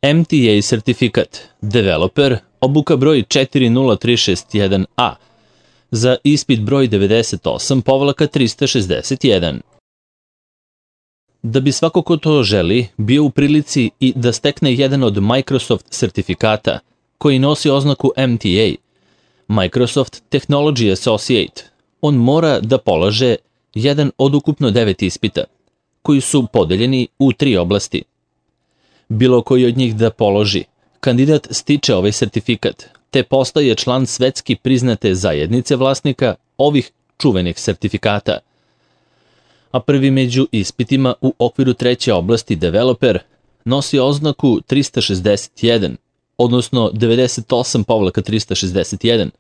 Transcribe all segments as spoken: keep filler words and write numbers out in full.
M T A sertifikat, developer, obuka broj četiri nula tri šest jedan A, za ispit broj devedeset osam trista šezdeset jedan. Da bi svako ko to želi bio u prilici i da stekne jedan od Microsoft sertifikata koji nosi oznaku M T A, Microsoft Technology Associate, on mora da polaže jedan od ukupno devet ispita, koji su podeljeni u tri oblasti. Bilo koji od njih da položi, kandidat stiče ovaj sertifikat, te postaje član svetski priznate zajednice vlasnika ovih čuvenih sertifikata. A prvi među ispitima u okviru treće oblasti developer nosi oznaku trista šezdeset jedan, odnosno devedeset osam trista šezdeset jedan,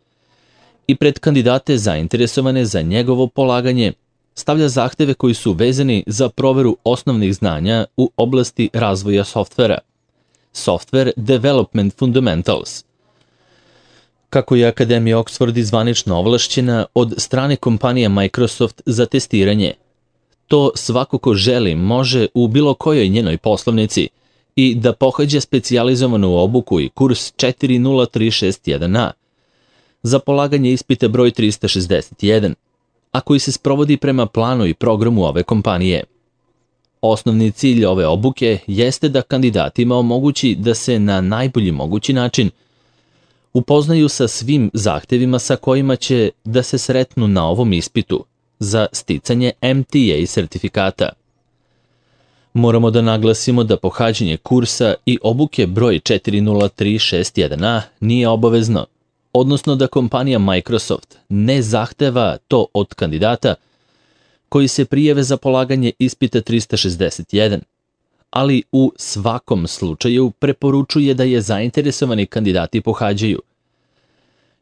i pred kandidate zainteresovane za njegovo polaganje stavlja zahteve koji su vezani za proveru osnovnih znanja u oblasti razvoja softvera, Software Development Fundamentals. Kako je Akademija Oxford zvanično ovlašćena od strane kompanije Microsoft za testiranje, to svako ko želi može u bilo kojoj njenoj poslovnici i da pohađa specijalizovanu obuku i kurs četiri nula tri šest jedan A za polaganje ispita broj trista šezdeset jedan, a koji se sprovodi prema planu i programu ove kompanije. Osnovni cilj ove obuke jeste da kandidatima omogući da se na najbolji mogući način upoznaju sa svim zahtevima sa kojima će da se sretnu na ovom ispitu za sticanje M T A sertifikata. Moramo da naglasimo da pohađanje kursa i obuke broj četiri nula tri šest jedan A nije obavezno, odnosno da kompanija Microsoft ne zahteva to od kandidata koji se prijave za polaganje ispita trista šezdeset jedan, ali u svakom slučaju preporučuje da je zainteresovani kandidati pohađaju.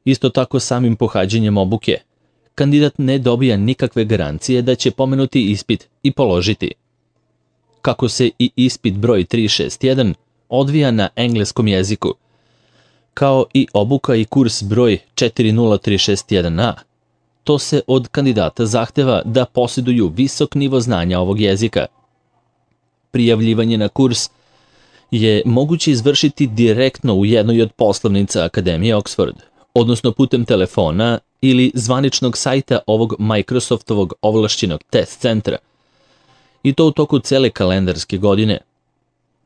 Isto tako samim pohađanjem obuke, kandidat ne dobija nikakve garancije da će pomenuti ispit i položiti. Kako se i ispit broj tri šest jedan odvija na engleskom jeziku, kao i obuka i kurs broj četiri nula tri šest jedan A, to se od kandidata zahteva da posjeduju visok nivo znanja ovog jezika. Prijavljivanje na kurs je moguće izvršiti direktno u jednoj od poslovnica Akademije Oxford, odnosno putem telefona ili zvaničnog sajta ovog Microsoftovog ovlašćenog test centra, i to u toku cele kalendarske godine.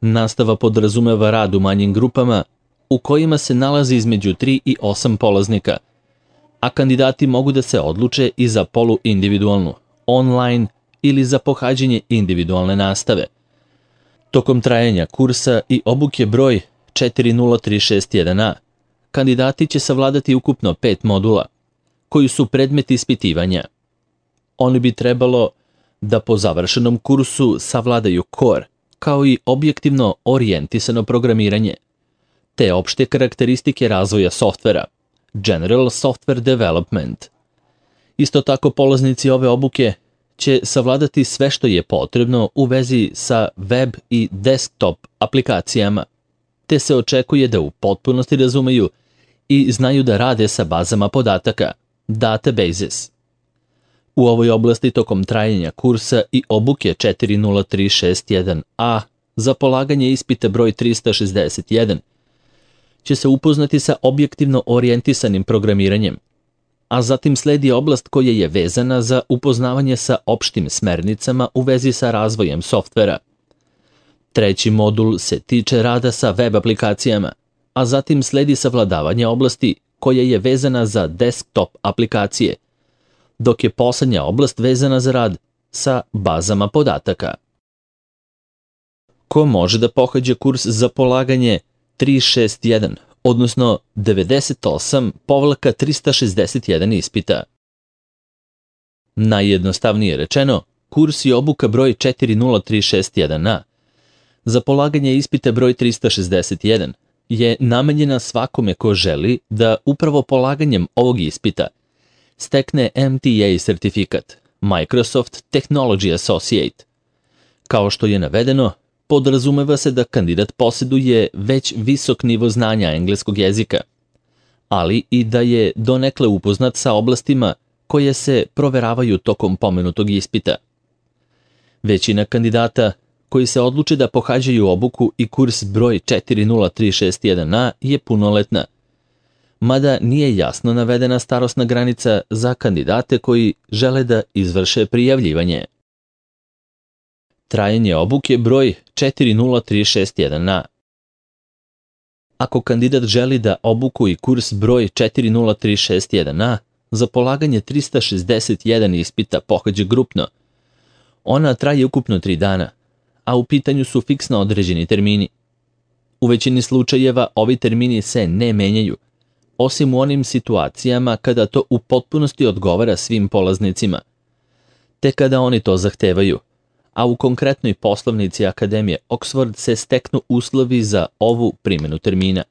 Nastava podrazumeva rad u manjim grupama u kojima se nalazi između tri i osam polaznika, a kandidati mogu da se odluče i za poluindividualnu, online ili za pohađanje individualne nastave. Tokom trajanja kursa i obuke broj četiri nula tri šest jedan A, kandidati će savladati ukupno pet modula, koji su predmet ispitivanja. Oni bi trebalo da po završenom kursu savladaju core, kao i objektivno orijentisano programiranje, te opšte karakteristike razvoja softvera, General Software Development. Isto tako polaznici ove obuke će savladati sve što je potrebno u vezi sa web i desktop aplikacijama, te se očekuje da u potpunosti razumeju i znaju da rade sa bazama podataka, databases. U ovoj oblasti tokom trajanja kursa i obuke četiri nula tri šest jedan A za polaganje ispita broj trista šezdeset jedan će se upoznati sa objektivno orijentisanim programiranjem, a zatim sledi oblast koja je vezana za upoznavanje sa opštim smernicama u vezi sa razvojem softvera. Treći modul se tiče rada sa web aplikacijama, a zatim sledi savladavanje oblasti koja je vezana za desktop aplikacije, dok je poslednja oblast vezana za rad sa bazama podataka. Ko može da pohađa kurs za polaganje tri šest jedan, odnosno devedeset osam trista šezdeset jedan ispita? Najjednostavnije rečeno, kurs i obuka broj četiri nula tri šest jedan A za polaganje ispita broj trista šezdeset jedan je namenjena svakome ko želi da upravo polaganjem ovog ispita stekne M T A sertifikat, Microsoft Technology Associate. Kao što je navedeno, podrazumeva se da kandidat posjeduje već visok nivo znanja engleskog jezika, ali i da je donekle upoznat sa oblastima koje se proveravaju tokom pomenutog ispita. Većina kandidata koji se odluče da pohađaju obuku i kurs broj četiri nula tri šest jedan a je punoletna, mada nije jasno navedena starosna granica za kandidate koji žele da izvrše prijavljivanje. Trajanje obuke broj četiri nula tri šest jedan a. Ako kandidat želi da obuku i kurs broj četiri nula tri šest jedan a za polaganje trista šezdeset jedan ispita pohađa grupno, ona traje ukupno tri dana, a u pitanju su fiksno određeni termini. U većini slučajeva ovi termini se ne menjaju, osim u onim situacijama kada to u potpunosti odgovara svim polaznicima, te kada oni to zahtevaju, a u konkretnoj poslovnici Akademije Oxford se steknu uslovi za ovu primjenu termina.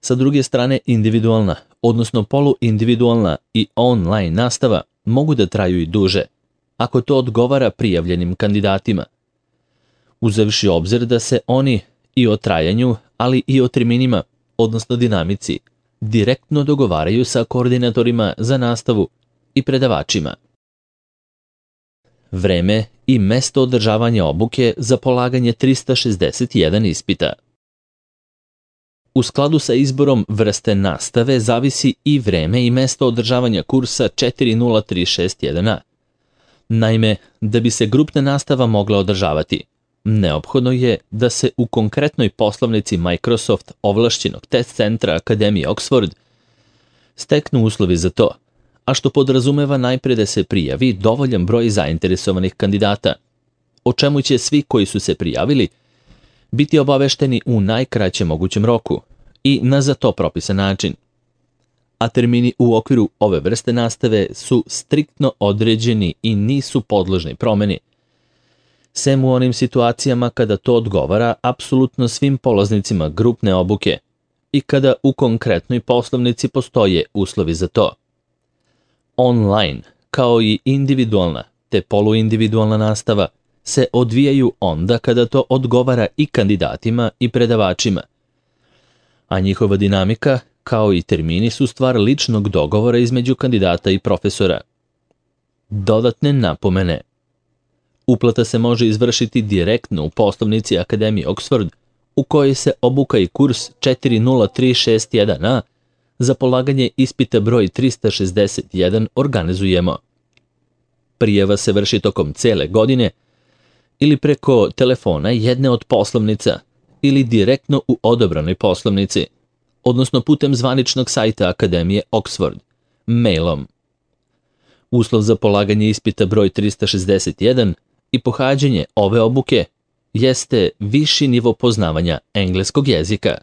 Sa druge strane, individualna, odnosno poluindividualna i online nastava mogu da traju i duže, ako to odgovara prijavljenim kandidatima. Uzevši obzir da se oni i o trajanju, ali i o terminima, odnosno dinamici, direktno dogovaraju sa koordinatorima za nastavu i predavačima. Vreme i mesto održavanja obuke za polaganje trista šezdeset jedan ispita. U skladu sa izborom vrste nastave zavisi i vreme i mesto održavanja kursa četiri nula tri šest jedan a. Naime, da bi se grupna nastava mogla održavati, neophodno je da se u konkretnoj poslovnici Microsoft ovlašćenog test centra Akademije Oxford steknu uslovi za to, a što podrazumeva najpre da se prijavi dovoljan broj zainteresovanih kandidata, o čemu će svi koji su se prijavili biti obavešteni u najkraćem mogućem roku i na za to propisan način. A termini u okviru ove vrste nastave su striktno određeni i nisu podložni promeni, sem u onim situacijama kada to odgovara apsolutno svim polaznicima grupne obuke i kada u konkretnoj poslovnici postoje uslovi za to. Online, kao i individualna te poluindividualna nastava, se odvijaju onda kada to odgovara i kandidatima i predavačima, a njihova dinamika, kao i termini, su stvar ličnog dogovora između kandidata i profesora. Dodatne napomene. Uplata se može izvršiti direktno u poslovnici Akademije Oxford, u kojoj se obuka i kurs četiri nula tri šest jedan a za polaganje ispita broj trista šezdeset jedan organizujemo. Prijava se vrši tokom cele godine ili preko telefona jedne od poslovnica ili direktno u odobranoj poslovnici, odnosno putem zvaničnog sajta Akademije Oxford, mailom. Uslov za polaganje ispita broj trista šezdeset jedan i pohađanje ove obuke jeste viši nivo poznavanja engleskog jezika.